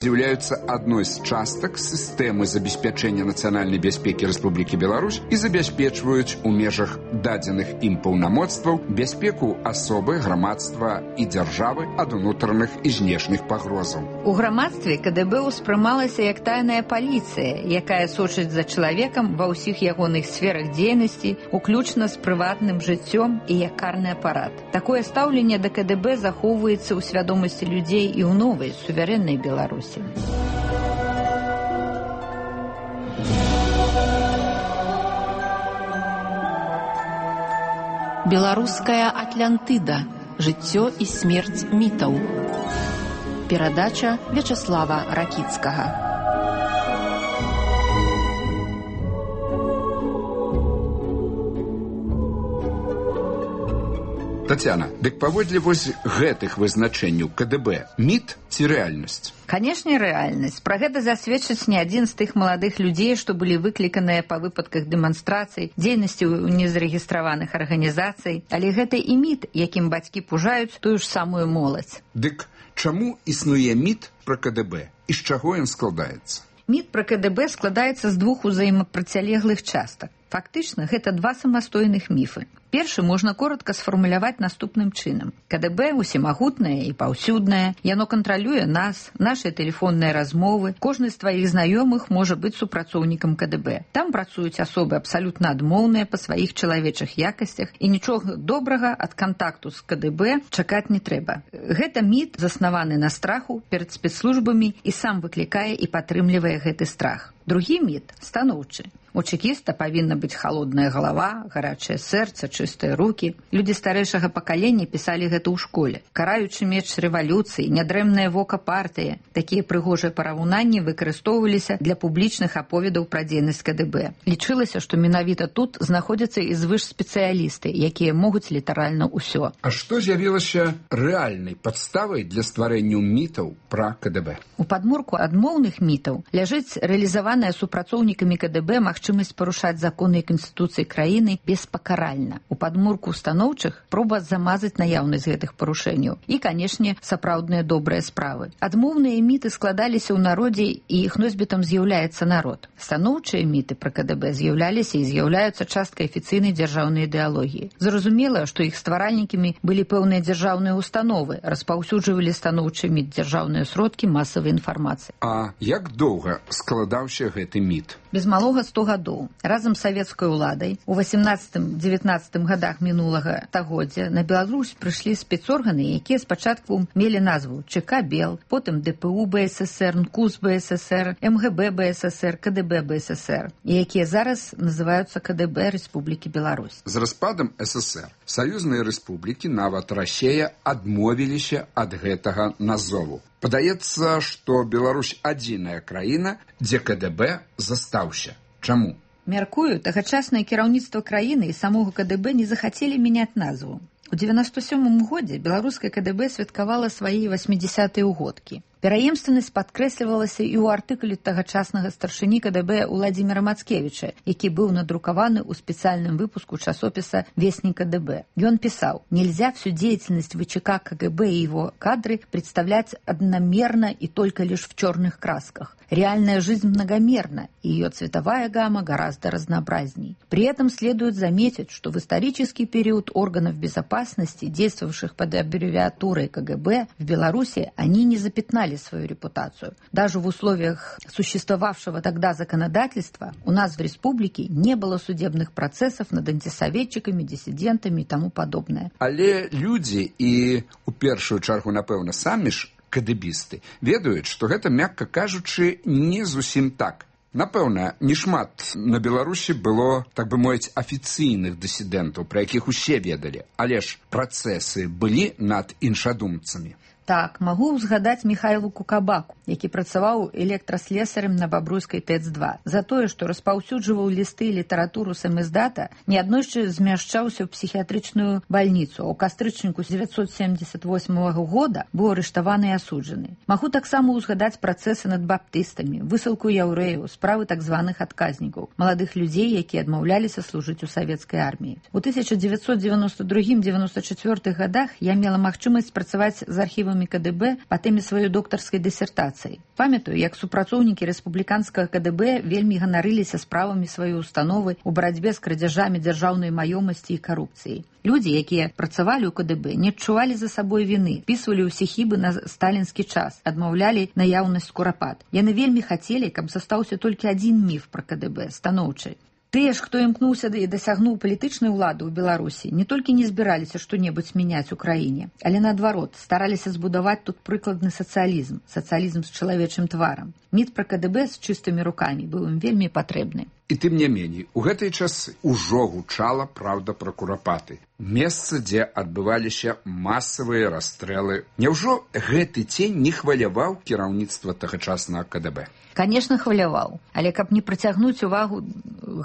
з'яўляюцца адной з частак сістэмы забеспячэння нацыянальнай бяспекі Рэспублікі Беларусь і забяспечваюць у межах дадзеных ім паўнамоцтваў бяспеку асобы, грамадства і дзяржавы ад унутраных і знешніх пагрозаў. У грамадстве КДБ успрымалася як тайная паліцыя, якая сочыць за чалавекам ва ўсіх ягоных сферах дзейнасці, уключна з прыватным жыццём і як карны апарат. Такое стаўленне да КДБ захоўваецца ў свядомасці людзей і ў новай суверэннай Беларусі. Беларуская Атлантыда. Жыццё і смерць мітаў. Перадача Вячаслава Ракіцкага. Тацяна, дык паводле вось гэтых вызначэнняў КДБ міт ці рэальнасць? Канешне, рэальнасць. Пра гэта засведчыць не адзін з тых маладых людзей, што былі выкліканыя па выпадках дэманстрацый, дзейнасці ў незарэгістраваных арганізацый, але гэта і міт, якім бацькі пужаюць тую ж самую моладзь. Дык чаму існуе міт пра КДБ і з чаго ён складаецца? Міт пра КДБ складаецца з двух узаемапрацялеглых частак. Фактычна, гэта два самастойных міфы. Першы можна коротка сфармуляваць наступным чынам. КДБ усімагутнае і паўсюднае, яно кантралюе нас, нашыя тэлефонныя размовы, кожны з тваіх знаёмых можа быць супрацоўнікам КДБ. Там працуюць асобы абсалютна адмоўныя па сваіх чалавечых якасцях, і нічога добрага ад кантакту з КДБ чакаць не трэба. Гэта міт, заснаваны на страху перад спецслужбамі, і сам выклікае і падтрымлівае гэты страх. Другі міт станоўчы. У чекіста павінна быць халодная галава, гарачае сэрца, чыстыя рукі. Людзі старэйшага пакалення пісалі гэта ў школе. Караючы меч рэвалюцыі, нядрэмнае вока партыі. Такія прыгожыя параўнанні выкарыстоўваліся для публічных аповедаў пра дзейнасць КДБ. Лічылася, што менавіта тут знаходзяцца і звышспецыялісты, якія могуць літаральна ўсё. А што з'явілася рэальнай падставай для стварэння мітаў пра КДБ? У падмурку адмоўных мітаў ляжыць рэалізаваная супрацоўнікамі КДБ магчымасць парушаць законы і канстытуцыі краіны беспакаральна. У падмурку станоўчых проба замазаць наяўнасць гэтых парушэнняў і, канешне, сапраўдныя добрыя справы. Адмоўныя міты складаліся ў народзе, і іх носьбітам з'яўляецца народ. Станоўчыя міты пра КДБ з'яўляліся і з'яўляюцца часткай афіцыйнай дзяржаўнай ідэалогіі. Зразумела, што іх стваральнікамі былі пэўныя дзяржаўныя установы, распаўсюджвалі станоўчы міт дзяржаўныя сродкі масавай інфармацыі. А як доўга складаўся гэты міт? Без малога 100 гадоў. Разам з савецкай уладай у 18-19 гадах мінулага стагоддзя на Беларусь прыйшлі спецорганы, якія спачатку мелі назву ЧК Бел, потым ДПУ БССР, НКУС БССР, МГБ БССР, КДБ БССР, і якія зараз называюцца КДБ Рэспублікі Беларусь. З распадам ССР саюзныя рэспублікі, нават Расія, адмовіліся ад гэтага назову. Падаецца, што Беларусь адзіная краіна, дзе КДБ застаўся. Чаму? Мяркую, тагачаснае кіраўніцтва краіны і самога КДБ не захацелі мяняць назву. У 97 годзе беларускае КДБ святкавала свае 80-е ўгодкі. Пераемственнасць падкрэслівалася і ў артыкуле тагачаснага старшыні КДБ Уладзіміра Мацкевіча, які быў надрукаваны ў спецыяльным выпуску часопіса «Вестник КДБ». Ён писал: «Нельзя всю деятельность ВЧК КГБ и его кадры представлять одномерно и только лишь в черных красках. Реальная жизнь многомерна, и ее цветовая гамма гораздо разнообразней. При этом следует заметить, что в исторический период органов безопасности, действовавших под аббревиатурой КГБ, в Беларуси они не запятнали свою репутацию. Даже в условиях существовавшего тогда законодательства у нас в республике не было судебных процессов над антисоветчиками, диссидентами и тому подобное». Але люди и, у першую чаргу, напэўна, самі ж кадыбісты ведаюць, што гэта, мякка кажучы, не зусім так. Напэўна, не шмат на Беларусі было, так бы мовіць, афіцыйных дысідэнтаў, пра якіх усе ведалі, але ж працэсы былі над іншадумцамі. Так, магу ўзгадаць Міхайлу Кукабаку, які працаваў электраслесарем на Бабруйскай ТЭЦ-2. За тое, што распаўсюджваў лісты і літаратуру самиздата, неаднойчы змяшчаўся ў псіхіятрычную бальніцу, а ў кастрычніку 1978 года быў арыштаваны і асуджаны. Магу таксама ўзгадаць працэсы над баптыстамі, высылку яўрэяў, справы так званых адказнікаў, маладых людзей, якія адмаўляліся служыць у савецкай арміі. У 1992-94 годах я мела магчымасць працаваць з архівам справамі КДБ па тэме сваёй доктарскай дысертацыі. Памятаю, як супрацоўнікі рэспубліканскага КДБ вельмі ганарыліся справамі сваёй установы ў барацьбе з крадзяжамі дзяржаўнай маёмасці і карупцыяй. Людзі, якія працавалі ў КДБ, не адчувалі за сабой віны, спісвалі ўсе хібы на сталінскі час, адмаўлялі наяўнасць курапат. Яны вельмі хацелі, каб застаўся толькі адзін міф пра КДБ, станоўчы. Тыя ж, хто імкнуўся і дасягнуў палітычнай улады ў Беларусі, не толькі не збіраліся што-небудзь мяняць у краіне, але наадварот, стараліся збудаваць тут прыкладны сацыялізм, сацыялізм з чалавечым тварам. Міф пра КДБ з чыстымі рукамі быў ім вельмі патрэбны. І тым не меней, у гэтыя часы ўжо гучала праўда пра курапаты. Месца, дзе адбываліся масавыя расстрэлы. Няўжо гэты цень не хваляваў кіраўніцтва тагачаснага КДБ? Конечно, хваляваў, але каб не прыцягнуць увагу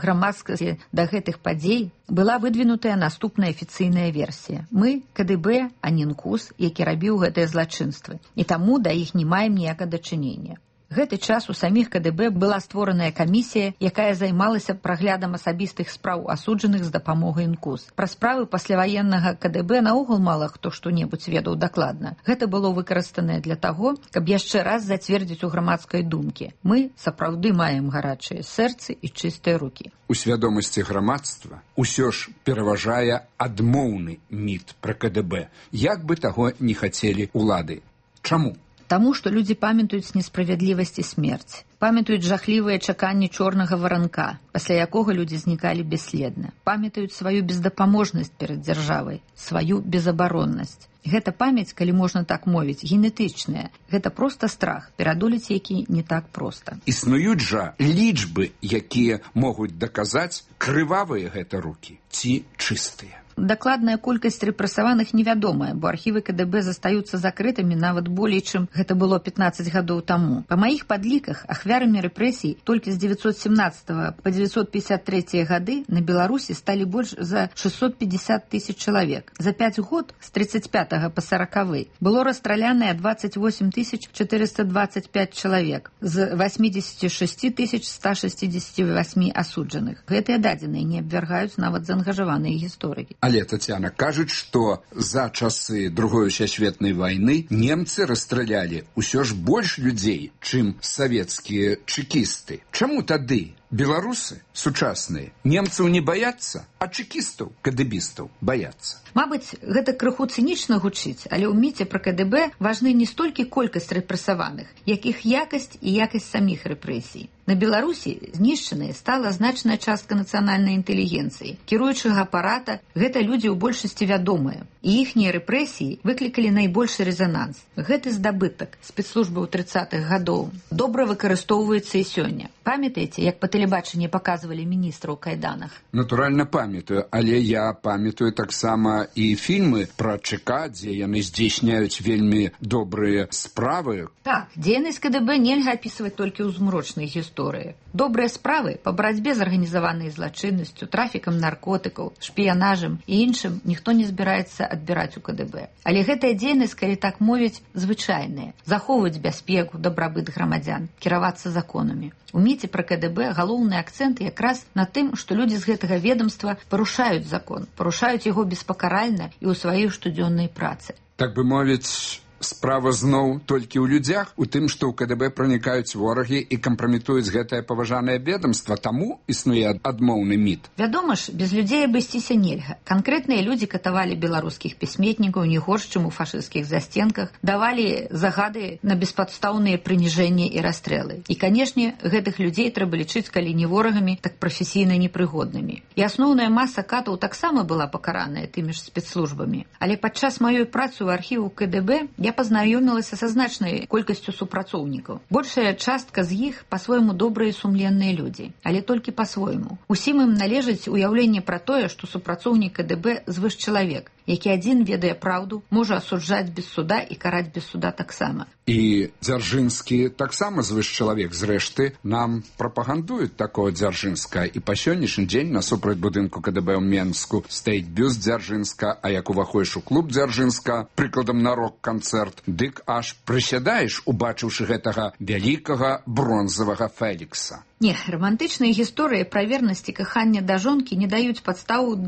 грамадскасці да гэтых падзей, была выдвінутая наступная афіцыйная версія. Мы КДБ, а не НКУС, які рабіў гэтыя злачынствы, і таму да іх не маем ніякага дачынення. Гэты час у саміх КДБ была створаная камісія, якая займалася праглядам асабістых спраў асуджаных з дапамогай НКУС. Пра справы пасляваеннага КДБ наогул мала хто што-небудзь ведаў дакладна. Гэта было выкарыстанае для таго, каб яшчэ раз зацвердзіць у грамадскай думкі. Мы сапраўды маем гарачыя сэрцы і чыстыя рукі. У свядомасці грамадства ўсё ж пераважае адмоўны міф пра КДБ, як бы таго не хацелі улады. Чаму? Таму, што людзі памятаюць несправядлівасць і смерць, памятаюць жахлівыя чаканні чорнага варанка, пасля якога людзі знікалі бесследна, памятаюць сваю бездапаможнасць перад дзяржавай, сваю безабароннасць. Гэта памяць, калі можна так мовіць, генетычная. Гэта проста страх, перадолець які не так проста. Існуюць жа лічбы, якія могуць даказаць, крывавыя гэта рукі ці чыстыя. Дакладная колькасць рэпрэсаваных невядомая, бо архівы КДБ застаюцца закрытымі нават болей, чым гэта было 15 гадоў таму. Па маіх падліках, ахвярамі рэпрэсій толькі з 917 па 953 гады на Беларусі сталі больш за 650 тысяч чалавек. За 5 год, з 35 па 40 было расстраляныя 28 425 чалавек з 86 168 асуджаных. Гэтыя дадзеныя не абвяргаюць нават заангажаваныя гісторыкі. Але, Тацяна, кажуць, што за часы Другой сусветнай вайны немцы расстралялі ўсё ж больш людзей, чым савецкія чэкісты. Чаму тады беларусы сучасныя немцаў не баяцца, а чэкістаў, кадэбістаў баяцца? Мабыць, гэта крыху цынічна гучыць, але ў міце пра КДБ важны не столькі колькасць рэпрэсаваных, як іх якасць і якасць саміх рэпрэсій. На Беларусі знішчанай стала значная частка нацыянальнай інтэлігенцыі. Кіруючага апарата гэта людзі ў большасці вядомыя, і іхнія рэпрэсіі выклікалі найбольшы рэзананс. Гэты здабытак спецслужбы ў 30-х гадоў добра выкарыстоўваецца і сёння. Памятаеце, як па тэлебачанні паказвалі міністра ў кайданах? Натуральна памятаю, але я памятаю таксама і фільмы пра ЧК, дзе яны здзейсняюць вельмі добрыя справы. Так, дзейнасць КДБ нельга апісваць толькі ў змрочнай гісторыі. Добрыя справы па барацьбе з арганізаванай злачыннасцю, трафікам наркотыкаў, шпіянажам і іншым ніхто не збіраецца адбіраць у КДБ. Але гэтая дзейнасць, калі так мовіць, звычайная. Захоўваць бяспеку, дабрабыт грамадзян, кіравацца законамі. У міце пра КДБ галоўны акцэнт якраз на тым, што людзі з гэтага ведомства парушаюць закон, парушаюць яго беспакаральна і ў сваёй штодзённай працы. Так бы мовіць, справа зноў толькі ў людзях, у тым, што ў КДБ пранікаюць ворагі і кампраметуюць гэтае паважанае ведомства, таму існуе адмоўны міф. Вядома ж, без людзей абысціся нельга. Канкрэтныя людзі катавалі беларускіх пісьменнікаў не горш, чым у фашысцкіх засценках, давалі загады на беспадстаўныя прыніжэнні і расстрэлы. І, канешне, гэтых людзей трэба лічыць, калі не ворагамі, так прафесійна непрыгоднымі. І асноўная маса катаў таксама была пакараная тымі ж спецслужбамі. Але падчас маёй працы ў архіву КДБ я пазнаёмілася са значнай колькасцю супрацоўнікаў. Большая частка з іх па-свойму добрыя і сумленныя людзі, але толькі па-свойму. Усім ім належыць уяўленне пра тое, што супрацоўнік КДБ звышчалавек, які адзін ведае праўду, можа асуджаць без суда і караць без суда таксама. І Дзяржынскі таксама звышчалавек. Зрэшты, нам прапагандуюць такого Дзяржынска. І па сённяшні дзень насупраць будынку КДБ ў Менску стаіць бюст Дзяржынска, а як уваходзіш у клуб Дзяржынска, прыкладам на рок-канцэрт, дык аж прысядаеш, убачыўшы гэтага вялікага бронзавага Фелікса. Не, романтычныя гісторыі пра вернасць і каханне да жонкі не даюць падставу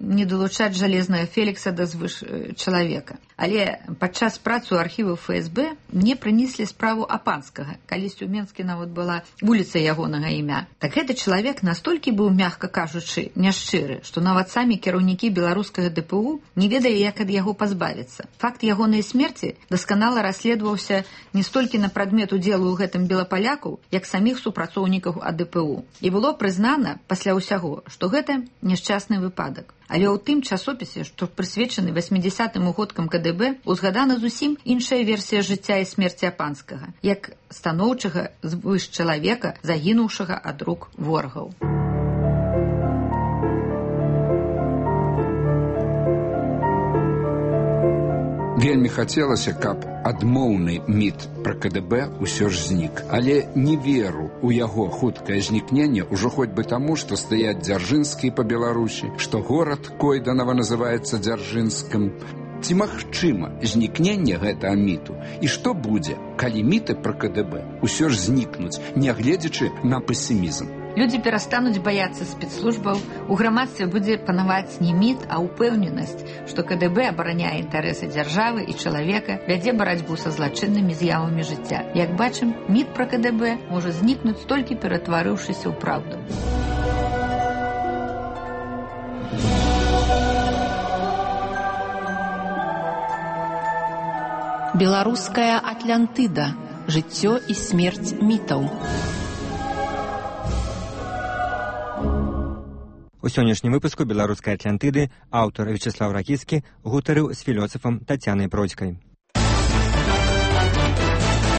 не далучаць жалезнага Фелікса да звыш чалавека. Але падчас працы ў архіву ФСБ мне прынеслі справу Апанскага. Калісьці ў Менскі нават была вуліца ягонага імя. Так гэты чалавек настолькі быў, мякка кажучы, няшчыры, што нават самі кіраўнікі беларускага ДПУ не ведалі, як ад яго пазбавіцца. Факт ягонай смерці дасканала расследаваўся не столькі на прадмет удзелу ў гэтым белапалякаў, як саміх супрацоўнікаў АДПУ. І было прызнана пасля ўсяго, што гэта няшчасны выпадак. Але ў тым часопісе, што прысвечаны 80-м годкам КДБ, узгадана зусім іншая версія жыцця і смерці Апанскага, як станоўчага звыш чалавека, загінуўшага ад рук ворагаў. Вельмі хацелася, каб адмоўны міт пра КДБ ўсё ж знік. Але не веру ў яго хуткае знікненне ўжо хоць бы таму, што стаяць Дзяржынскія па Беларусі, што горад Койданава называецца Дзяржынскім. Ці магчыма знікненне гэтага міту? І што будзе, калі міты пра КДБ ўсё ж знікнуць, нягледзячы на песімізм? Людзі перастануць баяцца спецслужбаў, у грамадстве будзе панаваць не міт, а ўпэўненасць, што КДБ абараняе інтарэсы дзяржавы і чалавека, вядзе барацьбу са злачыннымі з'явамі жыцця. Як бачым, міт пра КДБ можа знікнуць, толькі ператварыўшыся ў праўду. Беларуская Атлантыда. Жыццё і смерць мітаў. У сённяшнім выпуску беларускай Атлантыды аўтар Вячеслав Ракіцкі гутарыў з філосафам Тацянай Бродзькай.